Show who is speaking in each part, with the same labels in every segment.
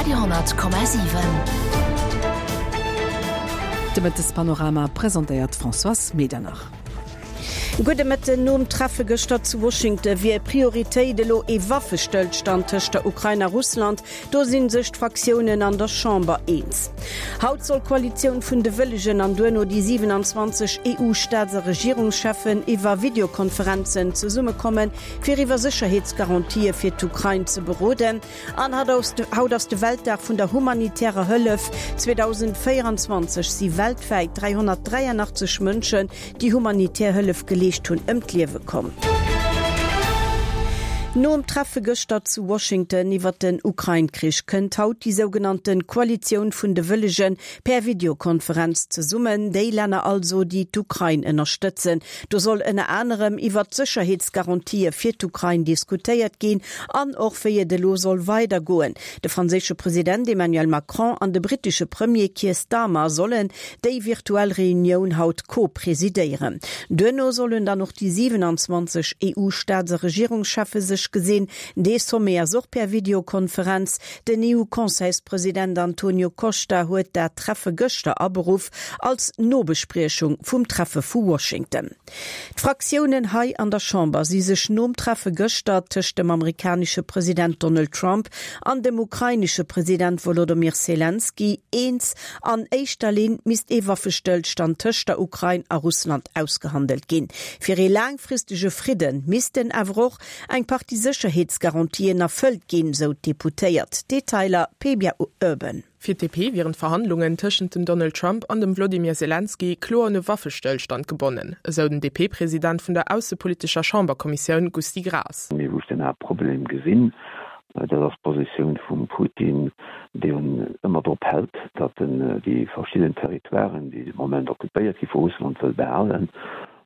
Speaker 1: Radio 10,7.
Speaker 2: De Mëttespanorama presentéiert d'Françoise Medernach.
Speaker 3: Gudde Mëtten. Nom Treffe gëschter zu Washington wier Prioritéit elo ee Waffestëllstand tëscht der Ukrain a Russland. Do si sech d'Fraktiounen an der Chamber eens. Haut soll d'Koalitioun vun de Wëllegen an duerno déi 27 EU-Staats a Regierungscheffen iwwer Videokonferenzen zesummekommen, fir iwwer Sécherheetsgarantië fir d'Ukrain ze beroden. An haut ass de Weltdag vun der humanitärer Hëllef. 2024 si weltwäit 383 Mënschen, déi humanitär Hëllef geleescht hunn, ëm d'Liewe komm. Nom Treffe gëschter zu Washington iwwer den Ukrain-Krich kënnt haut déi sougenannte Koalitioun vun de Wëllege per Videokonferenz zesummen. Déi Länner also, déi d'Ukrain ënnerstëtzen. Do soll ënner anerem iwwer d'Sécherheetsgarantië fir d'Ukrain diskutéiert ginn an och wéi et elo soll weidergoen. De franséische President Emmanuel Macron an de brittesche Premier Keir Starmer sollen déi virtuell Reunioun haut co-presidéieren. Duerno sollen dann och déi 27 EU-Staats a Regierungscheffe sech gesinn. Dee Sommet ass och per Videokonferenz. Den EU-Conseilspresident Antonio Costa huet dat Treffe gëschter aberuff als Nobespriechung vum Treffe vu Washington. D'Fraktiounen hei an der Chamber si sech nom Treffe gëschter tëscht dem amerikanesche President Donald Trump an dem ukrainesche President Wolodomyr Selenskyj eens, An éischter Linn misst ee Waffestëllstand tëscht der Ukrain a Russland ausgehandelt ginn. Fir ee laangfristege Fridde missten awer och eng Partie Sécherheetsgarantien erfëllt ginn, sou d'Deputéiert. Detailer Pebia Urban.
Speaker 4: Fir d'DP wieren d'Verhandlungen tëschent dem Donald Trump an dem Wlodimir Selenskyj kloer un e Waffestëllstand gebonnen, esou den DP-President vun der aussepolitescher Chamberkommissioun Gusty Graas.
Speaker 5: Mee wou ech den Haaptproblem gesinn, dat ass d'Positioun vum Putin, deen ëmmer drop hält, datt en déi verschidden Territoiren, déi de Moment occupéiert gi vu Russland, wëll behalen.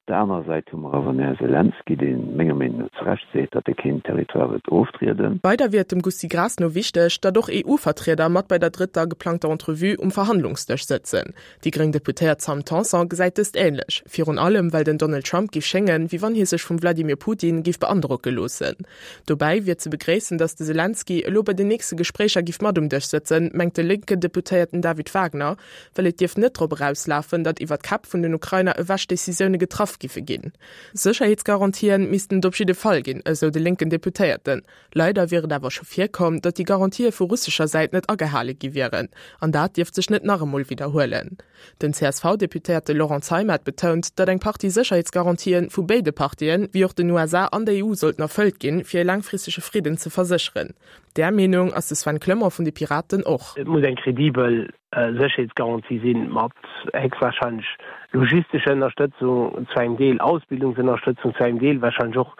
Speaker 5: Op der anerer Säit hu mer awer den Här Selenskyj, dee menger Meenung no zu Recht seet, datt e keen Territoire wëllt oftrieden.
Speaker 4: Weider wier et dem Gusty Graas no wichteg, datt och EU-Vertrieder mat bei der drëtter geplangter Entrevue um Verhandlungsdësch sëtzen. Déi gréng Deputéiert Sam Tanson gesäit dëst änlech, virun allem well den Donald Trump giff schéngen, wéi wann hie sech vum Vladimir Putin giff beandrocke loossen. Dobäi wier ze begréissen, datt de Selenskyj elo bei den nächste Gespréicher giff mat um Dësch sëtzen, mengt de lénken Deputéierten David Wagner, well et dierft net drop erauslafen, datt iwwer d'Käpp vun den Ukrainer ewech Decisioune getraff giffe ginn. Sécherheetsgarantien missten et op jidde Fall ginn, esou de lénken Deputéierten. Leider wier et awer scho virkomm, datt déi Garantië vu russescher Säit net agehale gi wieren, an dat dierft sech net nach emol widderhuelen. Den CSV-Deputéierte Laurent Zeimet betount, datt eng Partie Sécherheetsgarantien vu béide Partien, wéi och den USA an der EU sollten erfëllt ginn, fir e laangfristege Fridden ze versécheren. Där Meenung ass de Sven Clement vun de Piraten och.
Speaker 6: Et muss eng kredibel Sécherheetsgarantie sinn, mat héchstwahrscheinlech logistescher Ënnerstëtzung, zu engem Deel Ausbildungsënnerstëtzung, zu engem Deel wahrscheinlech och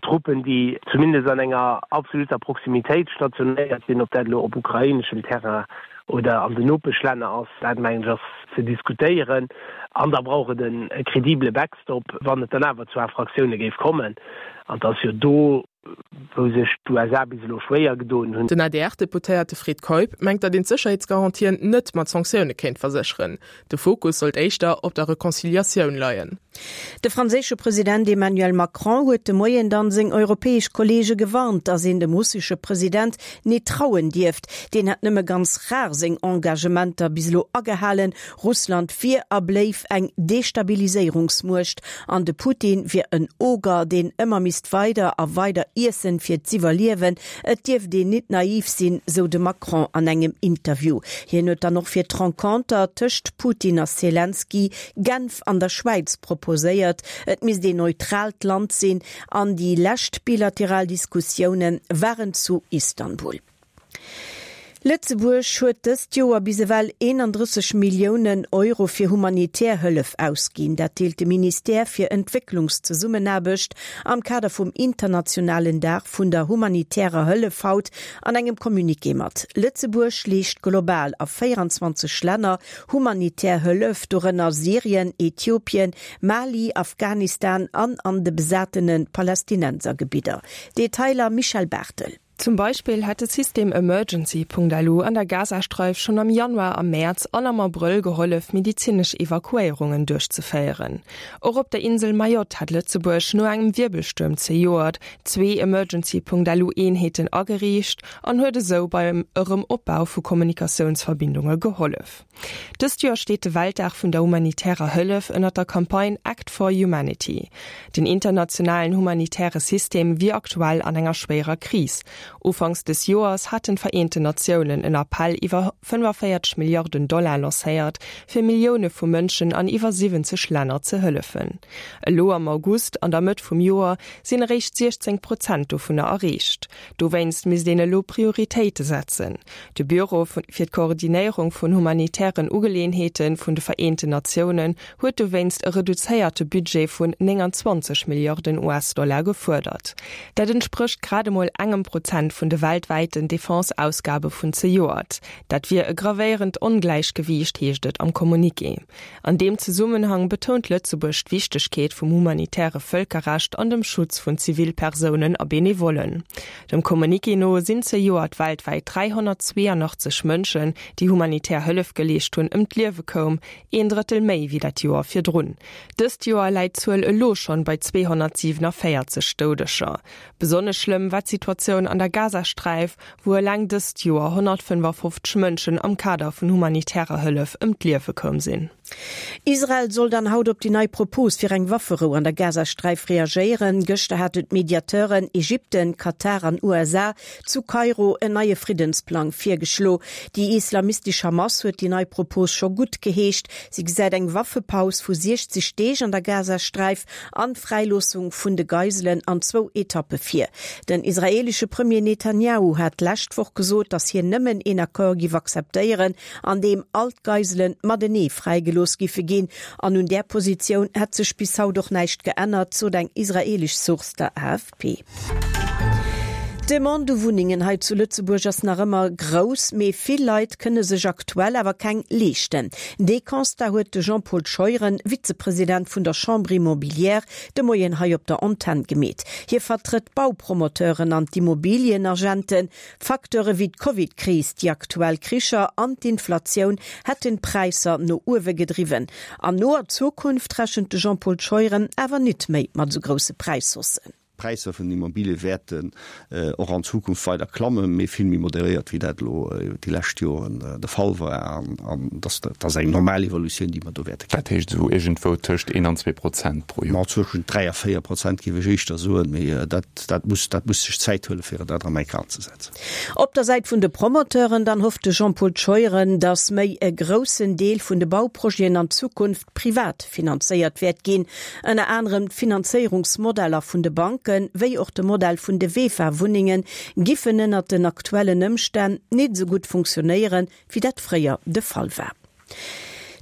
Speaker 6: Truppen, déi zumindest an enger absoluter Proximitéit stationéiert sinn, ob dat elo op ukraineschem Terrain oder an den Nopeschlänner ass, dat mengen ech ass ze diskutéieren. An da brauch et e kredibele Backstop, wann et dann awer zu Infraktioune géif kommen. An et ass jo do, wou sech d'USA bis elo schwéier gedoen hunn.
Speaker 4: Den ADR-Deputéierte Fred Keup mengt, datt een d'Sécherheetsgarantien net mat Sanktioune kéint versécheren. De Fokus sollt éischter op der Reconciliatioun leien.
Speaker 3: De franséische President Emmanuel Macron huet de Moien dann seng europäesch Kolleege gewarnt, datt een dem russesche President net trauen dierft. Deen hätt nëmme ganz rar seng Engagementer bis elo agehalen. Russland wier a bléif eng Destabiliséierungsmuecht an de Putin wier en Oger, deen ëmmer misst weider a weider iessen, fir z'iwwerliewen. Et dierft een nit naiv sinn, sou de Macron an engem Interview. Hien huet dann och fir d'Renconter tëscht Putin a Selenskyj Genf an der Schwäiz proposéiert. Et misst een neutraalt Land sinn an déi lescht bilateral Diskussioune waren zu Istanbul. Lëtzebuerg huet dëst Joer bis ewell 31 Milliounen Euro fir humanitär Hëllef ausginn. Dat deelt de Ministère fir Entwécklungszesummenaarbecht am Kader vum internationalen Dag vun der humanitärer Hëllef haut an engem Communiqué mat. Lëtzebuerg leescht global a 24 Länner humanitär Hëllef, dorënner Syrien, Äthiopien, Mali, Afghanistan an an de besatene Palästinensergebidder. Detailer Michèle Barthel.
Speaker 1: Zum Beispill hätt de System Emergency.lu an der Gazasträif schonn am Januar, am Mäerz an am Abrëll gehollef, medizinesch Evakuéierungen duerchzeféieren. Och op der Insel Mayotte hat Lëtzebuerg no engem Wierbelstuerm zejoert zwee Emergency.lu-Eenheeten ageriicht an huet esou beim Erëm-Opbau vu Kommunikatiounsverbindunge gehollef. Dëst Joer steet de Weltdag vun der humanitärer Hëllef ënnert der Campagne Act for Humanity. Den internationalen humanitäre System wier aktuell an enger schwéierer Kris. Ufanks des Joers haten d'Vereenten Natiounen en Appell iwwer 45 Milliarden Dollar lancéiert, fir Millioune vu Mënschen an iwwer 70 Länner ze hëllefen. Elo am August, an der Mëtt vum Joer, sinn eréischt 16 Prozent dovunner erreecht. Dowéinst misst een elo Prioritéite setzen. De Büro fir d'Koordinéierung vun humanitären Ugeleeënheete vun de Vereenten Natiounen huet dowéinst e reduzéierte Budget vun 29 Milliarden US-Dollar gefuerdert. Dat entsprécht grad emol engem Prozent vun de weltwäiten Defense-Ausgabe vun zejoert. Dat wier e gravéierend Ongläichgewiicht, heescht et am Communiqué. An deem Zesummenhang betount Lëtzebuerg d'Wichtegkeet vum humanitäre Vëlkerrecht an dem Schutz vun Zivilpersounen a Benevollen. Dem Communiqué no sinn zejoert weltwäit 382 Mënschen, déi humanitär Hëllef geleescht hunn, ëm d'Liewe koum, een Drëttel méi wéi dat Joer virdrun. Dëst Joer läit d'Zuel elo schonn bei 247 Doudeger. Besonnesch schlëmm war d'Situatioun an der Gazasträif, wou eleng dëst Joer 155 Mënschen am Kader vun humanitärer Hëllef ëm d'Liewe koum sinn.
Speaker 3: Israel soll dann haut op déi nei Propos fir eng Wafferou an der Gazasträif reagéieren. Gëschter haten d'Mediateuren Ägypten, Katar an USA zu Kairo en neie Friddensplang virgeschlo. Déi islamistesch Hamas huet déi nei Propos scho gutt geheescht. Si gesäit eng Waffepaus vu 60 Deeg an der Gazasträif an d'Fräiloossung vun de Geiselen an zwou Etappe vir. Den israeelesche Premier Netanjahu hat d'lescht Woch gesot, datt hien nëmmen een Accord giff akzeptéieren, an deem all d'Geisele matenee fräigelooss giffe ginn. An un där Positioun hätt sech bis haut och näischt geännert, sot eng israeelesch Source der AFP. D'Demande u Wunnengen hei zu Lëtzebuerg ass nach ëmmer grouss, mee vill Leit kënne sech aktuell awer keng leeschten. Dee Constat huet de Jean-Paul Scheuren, Vizepresident vun der Chambre Immobilière, de Moien hei op der Antenn gemeet. Hie vertrëtt d'Baupromoteuren an d'Immobilienagenten. Facteure wéi d'Covid-Kris, déi aktuell Kricher an d'Inflatioun hätten d'Präisser no uewe gedriwwen. An noer Zukunft rechent de Jean-Paul Scheuren awer nit méi mat esou grousse Präishaussen.
Speaker 7: D'Präisser vun den Immobilie wäerten och an Zukunft weider klammen, mee vill méi moderéiert, wéi dat elo déi lescht Joren de Fall war. An dat ass eng normal Evolutioun, déi mer do wäerte
Speaker 8: kréien. Dat heescht esou iergendwou tëscht een an 2% pro Joer?
Speaker 7: Ma zwëschen 3 a 4% géif ech éischter soen, mee dat, dat muss, dat muss sech Zäit huelen, fir dat erëm eng Kéier anzesetzen.
Speaker 3: Op der Säit vun de Promoteuren dann hofft de Jean-Paul Scheuren, datt méi e groussen Deel vun de Bauprojeten an Zukunft privat finanzéiert wäert ginn. Ënner anerem d'Finanzéierungsmodeller vun de Banken, wéi och de Modell vun de VEFA-Wunnenge giffen ënnert den aktuellen Ëmstänn nit esou gutt funktionéieren, wéi dat fréier de Fall war.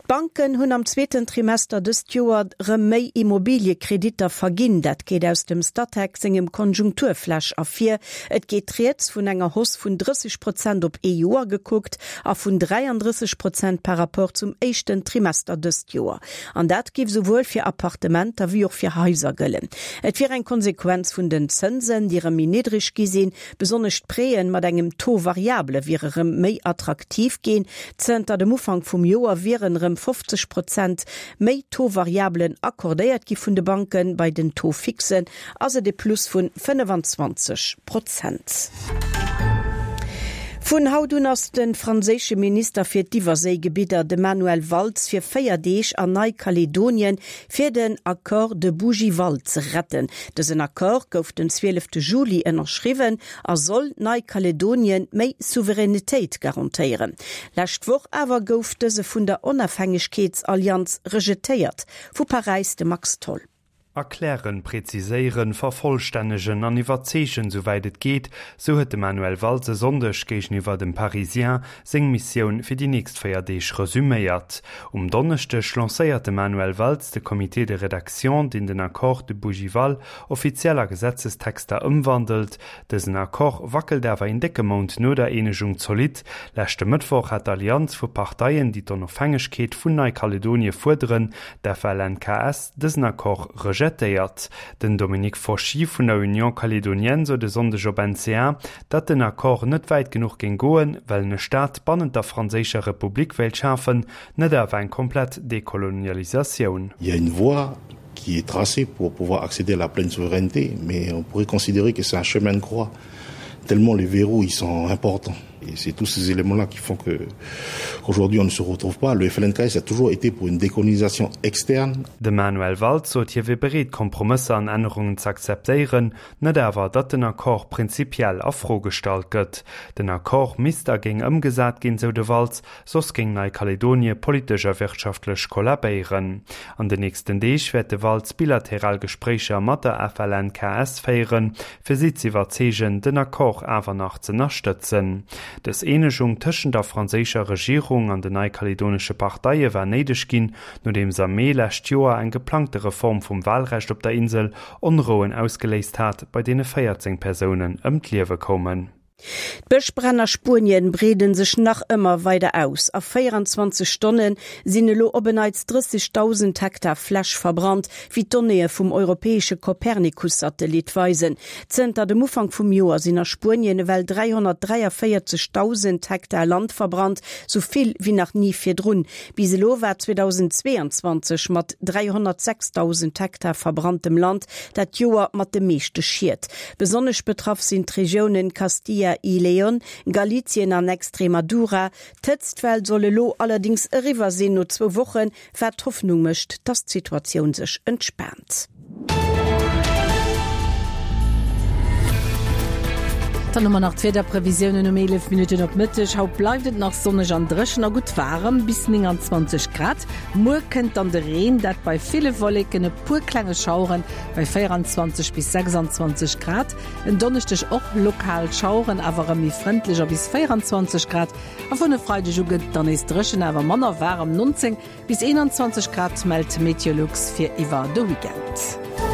Speaker 3: D'Banken hunn am zweeten Trimester dëst Joer rëm méi Immobiliekreditter verginn. Dat geet aus dem Statec sengem Konjunkturflash ervir. Et geet rieds vun enger Hausse vun 30 Prozent op ee Joer gekuckt a vun 33 Prozent par rapport zum éischten Trimester dëst Joer. An dat géif souwuel fir Appartementer wéi och fir Haiser gëllen. Et wier eng Konsequenz vun den Zënsen, déi rëm méi niddreg gi sinn. Besonnesch d'Prêten mat engem Taux variable wiere rëm méi attraktiv ginn. Zënter dem Ufank vum Joer wieren rëm 50 Prozent méi Taux variablen accordéiert gi vun de Banken. Bei den Taux fixen ass et e Plus vun 25 Prozent. Vun haut un ass de franséische Minister fir d'Iwwerséigebidder, de Manuel Valls, fir 4 Deeg an Neikaledonien, fir den Accord de Bougival ze retten. Dësen Accord gouf den 12 Juli ënnerschriwwen a soll Neikaledonien méi Souveränitéit garantéieren. Lescht Woch awer gouf dëse vun der Onafhängegkeetsallianz rejetéiert. Vu Paräis de Max Tholl.
Speaker 9: Erklären, präziséieren, vervollstännegen an iwwerzeegen, souwäit et geet, sou huet de Manuel Valls e Sonndeg géigeniwwer dem Parisien seng Missioun fir déi nächst 4 Deeg resuméiert. Um Donneschdeg lancéiert de Manuel Valls de Comité de rédaction, deen den Accord de Bougival offiziell a Gesetzestexter ëmwandelt. Dësen Accord wackelt awer een décke Mount no der Eenegung zolidd. Leschte Mëttwoch hat d'Allianz vu Parteien, déi d'Onofhängegkeet vun Neikaledonie fuerderen, d'FLNKS, dësen Accord rejetéiert. rejetéiert. Den Dominique Fauchy vun der Union Calédonienne sot e Sonndeg op NCA, datt den Accord net wäit genuch géing goen, well en e Staat bannent der franséischer Republik wéilt schafen, net awer eng komplett Dekolonialisatioun.
Speaker 10: Il y a une voie qui est tracée pour pouvoir accéder à la pleine souveraineté, mais on pourrait considérer que c'est un chemin de croix, tellement les verrous ils sont importants. Et c'est tous ces éléments-là qui font que qu'aujourd'hui on ne se retrouve pas. Le FLNKS a toujours été pour une décolonisation externe.
Speaker 9: De Manuel Valls sot hie wier bereet Kompromësser an Ännerungen z'akzeptéieren, net awer datt den Accord prinzipiell a Fro gestallt gëtt. Den Accord misst a géing ëmgesat ginn, sou de Valls, Soss géing Neikaledonie politesch a wirtschaftlech kollabéieren. An den nächsten Deeg wäert de Valls bilateral Gespréicher mat der FLNKS féieren, fir si z'iwwerzeegen, den Accord awer nach z'ënnerstëtzen. Dës Eenegung tëschent der franséischer Regierung an den neikaledonesche Parteie war néideg ginn, nodeems am Mee lescht Joer eng geplangte Reform vum Walrecht op der Insel Onrouen ausgeléist hat, bei deene 14 Persounen ëm d'Liewe koumen.
Speaker 3: D'Bëschbränn a Spuenien breede sech nach ëmmer weider aus. A 24 Stonne sinn elo op en Neits 30.000 Hektar Fläch verbrannt, wéi d'Donnéeë vum europäesche Copernicus-Satellit weisen. Zënter dem Ufank vum Joer sinn a Spuenien ewell 343.000 Hektar Land verbrannt, sou vill wéi nach ni virdrun. Bis elo war 2022 mat 306.000 Hektar verbranntem Land dat Joer mat de meeschte Schied. Besonnesch betraff sinn d'Regiounen Castilla y León, Galicien an Extremadura. D'Hëtztwell soll elo allerdéngs eriwwer sinn no zwou Wochen, wat Hoffnung mécht, datt d'Situatioun sech entspaant.
Speaker 2: Dann hu mer nach d'Wiederprevisiounen um 11 Minutten op Mëtteg. Haut bleift et nach sonneg an dréchen a gutt waarem, bis 29 Grad. Muer kënnt dann de Reen, dat bei ville Wolleken, e puer klenge Schaueren Bei 24 bis 26 Grad. En Donneschdeg och lokal Schaueren, awer erëm méi frëndlech a bis 24 Grad. A vun e Freideg u gëtt et dann nees dréchen, awer manner waarem, 19 bis 21 Grad mellt Meteolux fir iwwer de Weekend.